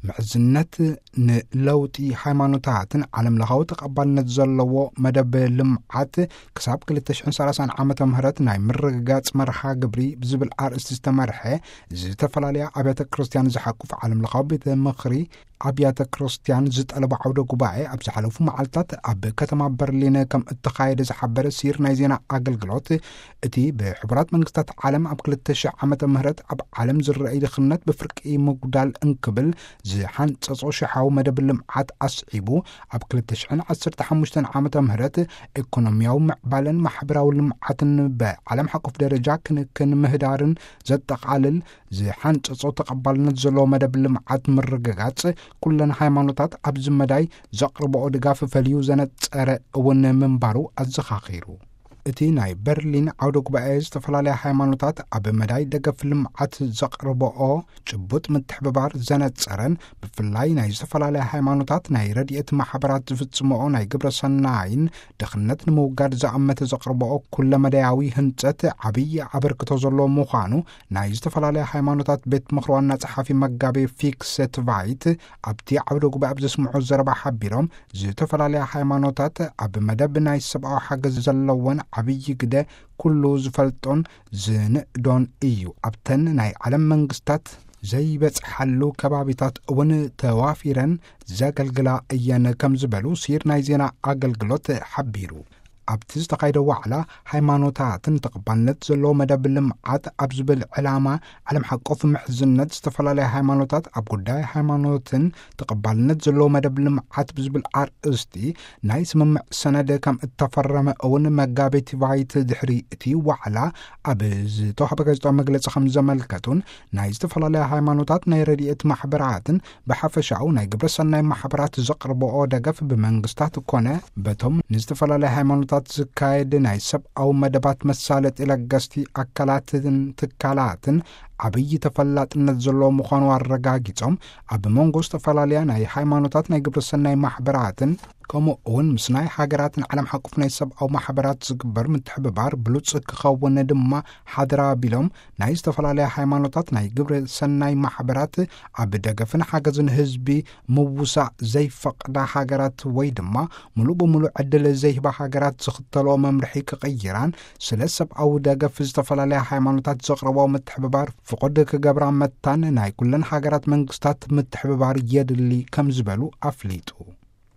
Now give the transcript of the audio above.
ምሕዝነት ንለውጢ ሃይማኖታትን ዓለም ለኻዊ ተቐባልነት ዘለዎ መደብ ልምዓት ክሳብ ክልተ ሽሕን ሰላሳን ዓመተ ምህረት ናይ ምርግጋጽ መርሃ ግብሪ ብዝብል ኣርእስቲ ዝተመርሐ ዝተፈላለያ ኣብያተ ክርስቲያን ዝሓቁፍ ዓለም ለኻዊ ቤተ ምኽሪ ኣብያተ ክርስቲያን ዝጠለቦ ዓውደ ጉባኤ ኣብ ዝሓለፉ መዓልታት ኣብ ከተማ በርሊን ከም እተኻየደ ዝሓበረ ሲር ናይ ዜና ኣገልግሎት፣ እቲ ብሕቡራት መንግስታት ዓለም ኣብ ክልተ ሽሕ ዓመተ ምህረት ኣብ ዓለም ዝረኣይ ድኽነት ብፍርቂ ምጉዳል እንክብል ዝሓንጸጾ ሽሓዊ መደብ ልምዓት ኣስዒቡ፣ ኣብ ክልተ ሽሕን ዓሰርተ ሓሙሽተን ዓመተ ምህረት ኢኮኖሚያዊ ምዕባለን ማሕበራዊ ልምዓትን ብዓለም ሓቆፍ ደረጃ ክንክን ምህዳርን ዘጠቓልል ዝሓንጸጾ ተቐባልነት ዘለዎ መደብ ልምዓት ምርግጋጽ፣ ኩለን ሃይማኖታት ኣብዚ መዳይ ዘቕርብኦ ድጋፍ ፈልዩ ዘነጸረ እውን ምንባሩ ኣዘኻኺሩ። እቲ ናይ በርሊን ዓውደ ጉባኤ ዝተፈላለያ ሃይማኖታት ኣብ መዳይ ደገፍ ልምዓት ዘቕርብኦ ጭቡጥ ምትሕብባር ዘነጸረን፣ ብፍላይ ናይ ዝተፈላለያ ሃይማኖታት ናይ ረድኤት ማሕበራት ዝፍጽምኦ ናይ ግብረ ሰናይን ድኽነት ንምውጋድ ዝኣመተ ዘቕርብኦ ኩለመዳያዊ ህንጸት ዓብዪ ኣበርክቶ ዘለዎ ምዃኑ ናይ ዝተፈላለያ ሃይማኖታት ቤት ምኽሪ ዋና ጸሓፊ መጋቤ ፊክሰት ቫይት ኣብቲ ዓውደ ጉባኤ ኣብ ዘስምዖ ዘረባ ሓቢሮም፣ ዝተፈላለያ ሃይማኖታት ኣብ መደብ ናይ ሰብኣዊ ሓገዝ ዘለወን ዓብዪ ግደ ኩሉ ዝፈልጦን ዝንእዶን እዩ። ኣብተን ናይ ዓለም መንግስታት ዘይበጽሓሉ ከባቢታት እውን ተዋፊረን ዘገልግላ እየን ከም ዝበሉ ሲር ናይ ዜና ኣገልግሎት ሓቢሩ። ኣብቲ ዝተኻየደ ዋዕላ፣ ሃይማኖታትን ተቐባልነት ዘለዎ መደብ ልምዓት ኣብ ዝብል ዕላማ ዓለም ሓቆፍ ምሕዝነት ዝተፈላለያ ሃይማኖታት ኣብ ጉዳይ ሃይማኖትን ተቐባልነት ዘለዎ መደብ ልምዓት ብዝብል ኣርእስቲ ናይ ስምምዕ ሰነድ ከም እተፈረመ እውን መጋቤት ቫይት ድሕሪ እቲ ዋዕላ ኣብ ዝተዋህበ ጋዜጣዊ መግለጺ ከም ዘመልከቱን፣ ናይ ዝተፈላለያ ሃይማኖታት ናይ ረድኤት ማሕበራትን ብሓፈሻኡ ናይ ግብረ ሰናይ ማሕበራት ዘቕርብኦ ደገፍ ብመንግስታት ኮነ በቶም ንዝተፈላለያ ሃይማኖታት ዝካየድ ናይ ሰብኣዊ መደባት መሳለጢ ለገስቲ ኣካላትን ትካላትን ዓብዪ ተፈላጥነት ዘለዎ ምዃኑ ኣረጋጊጾም፣ ኣብ መንጎ ዝተፈላለያ ናይ ሃይማኖታት ናይ ግብረ ሰናይ ማሕበራትን ከምኡ እውን ምስ ናይ ሃገራትን ዓለም ሓቆፍ ናይ ሰብኣዊ ማሕበራት ዝግበር ምትሕብባር ብሉጽ ክኸውን ድማ ሓደራ ቢሎም፣ ናይ ዝተፈላለያ ሃይማኖታት ናይ ግብረ ሰናይ ማሕበራት ኣብ ደገፍን ሓገዝን ህዝቢ ምውሳእ ዘይፈቕዳ ሃገራት ወይ ድማ ሙሉእ ብሙሉእ ዕድል ዘይህባ ሃገራት ዝኽተልኦ መምርሒ ክቕይራን፣ ስለ ሰብኣዊ ደገፍ ዝተፈላለያ ሃይማኖታት ዘቕርቦ ምትሕብባር ፍቑድ ክገብራ መታን ናይ ኩለን ሃገራት መንግስታት ምትሕብባር የድሊ ከም ዝበሉ ኣፍሊጡ።